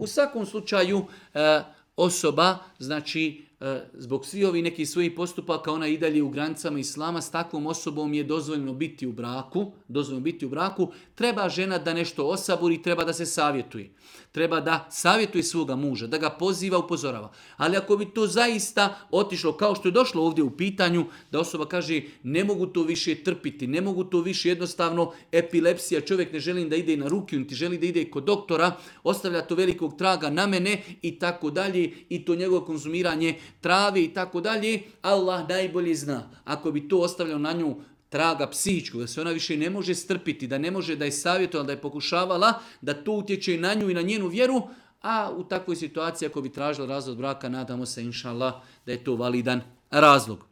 U svakom slučaju osoba, znači zbog svih ovih nekih svojih postupaka, ona i dalje u granicama islama, s takvom osobom je dozvoljeno biti u braku, treba žena da nešto osaburi, treba da se savjetuje. Treba da savjetuje svoga muža, da ga poziva, upozorava. Ali ako bi to zaista otišlo, kao što je došlo ovdje u pitanju, da osoba kaže ne mogu to više trpiti, ne mogu to više, jednostavno epilepsija, čovjek ne želi da ide na ruku, niti želi da ide kod doktora, ostavlja to velikog traga na mene i tako dalje, i to njegovo konzumiranje trave i tako dalje, Allah najbolje zna. Ako bi to ostavljao na nju traga psihičkog, da se ona više ne može strpiti, da ne može da je savjetovala, da je pokušavala, da to utječe na nju i na njenu vjeru, a u takvoj situaciji ako bi tražila razvod braka, nadamo se inša Allah da je to validan razlog.